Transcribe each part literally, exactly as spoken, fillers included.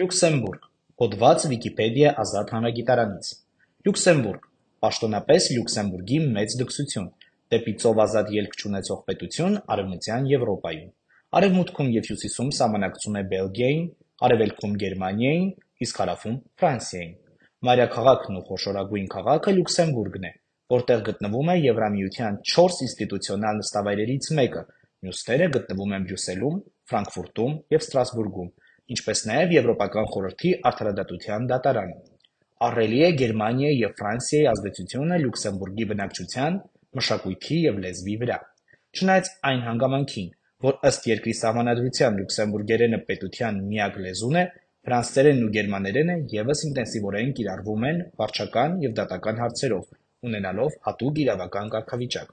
Լյուքսեմբուրգ, հոդված Վիկիպեդիա ազատ հանրագիտարանից։ Լյուքսեմբուրգ, պաշտոնապես Լյուքսեմբուրգի մեծ դքսություն, դեպի ծով ազատ ելք չունեցող պետություն Արևմտյան Եվրոպայում։ Արևմուտքում և հյուսիսում սահմանակցում է Բելգիային, արևելքում Գերմանիային, իսկ հարավում Ֆրանսիային։ Մայրաքաղաքն ու խոշորագույն քաղաքը Լյուքսեմբուրգն է, որտեղ գտնվում է Եվրամիության չորս ինստիտուցիոնալ նստավայրերից մեկը, մյուսները գտնվում են Բրյուսելում, Ֆրանկֆուրտում և Ստրասբուրգում, ինչպես նաև Եվրոպական խորհրդի արդարադատության դատարանը։ Ահռելի է Գերմանիայի և Ֆրանսիայի ազդեցությունը Լյուքսեմբուրգի բնակչության, մշակույթի և լեզվի վրա։ Չնայած այն հանգամանքին, որ ըստ երկրի սահմանադրության լյուքսեմբուրգերենը պետության միակ լեզուն է, ֆրանսերենն ու գերմաներենը ևս ինտենսիվորեն կիրառվում են վարչական և դատական հարցերով, ունենալով հատուկ իրավական կարգավիճակ։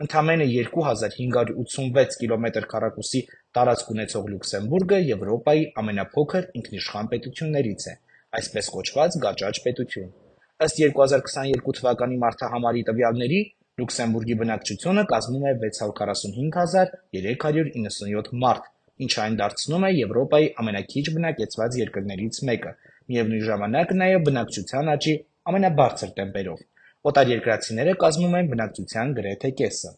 Ընդամենը երկու հազար հինգ հարյուր ութսունվեց կիլոմետր քառակուսի տարածք ունեցող Լյուքսեմբուրգը Եվրոպայի ամենափոքր ինքնիշխան պետություններից է, այսպես կոչված գաճաճ պետություն։ Ըստ երկու հազար քսաներկու թվականի մարդահամարի տվյալների, Լյուքսեմբուրգի բնակչությունը կազմում է վեց հարյուր քառասունհինգ հազար երեք հարյուր իննսունյոթ մարդ, ինչը այն դարձնում է Եվրոպայի ամենաքիչ բնակեցված երկրներից մեկը, միևնույն ժամանակ նաև բնակչության աճի ամենաբարձր տեմպերով։ Օտարերկրացիները կազմում են բնակչության գրեթե կեսը։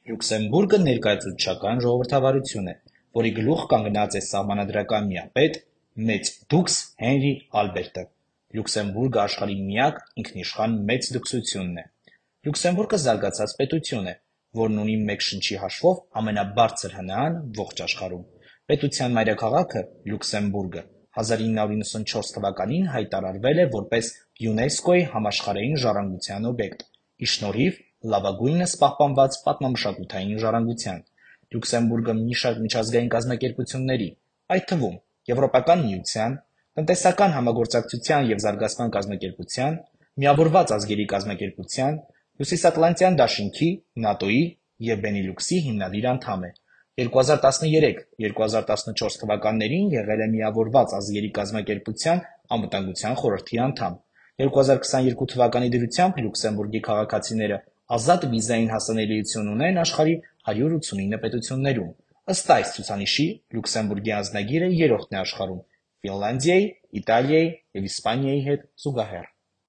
Լյուքսեմբուրգը ներկայացուցչական ժողովրդավարություն է, որի գլուխ կանգնած է սահմանադրական միապետ, մեծ դուքս Հենրի Ալբերտը։ Լյուքսեմբուրգը աշխարհի միակ ինքնիշխան մեծ դքսությունն է։ Լյուքսեմբուրգը զարգացած պետություն է, որն ունի մեկ շնչի հաշվով ամենաբարձր ՀՆԱ-ն ողջ աշխարհում։ Պետության մայրաքաղաքը՝ Լյուքսեմբուրգը, հազար ինը հարյուր իննսունչորս թվականին հայտարարվել է որպես ՅՈՒՆԵՍԿՕ-ի համաշխարհային ժառանգության օբյեկտ՝ ի շնորհիվ լավագույնս պահպանված պատմամշակութային ժառանգության։ Լյուքսեմբուրգը մի շարք միջազգային կազմակերպությունների, այդ թվում Եվրոպական միության, Տնտեսական համագործակցության և զարգացման կազմակերպության, Միավորված ազգերի կազմակերպության, Հյուսիսատլանտյան դաշինքի, ՆԱՏՕ-ի և Բենիլյուքսի հիմնադիր անդամ է։ երկու հազար տասներեք - երկու հազար տասնչորս թվականներին եղել է Միավորված ազգերի կազմակերպության Անվտանգության խորհրդի անդամ։ երկու հազար քսաներկու թվականի դրությամբ Լյուքսեմբուրգի քաղաքացիները ազատ վիզային հասանելիություն ունեն աշխարհի հարյուր ութսունինը պետություններում։ Ըստ այս ցուցանիշի Լյուքսեմբուրգի անձնագիրը երրորդն է աշխարհում՝ Ֆինլանդիայի, Իտալիայի և Իսպանիայի հետ զուգահեռ։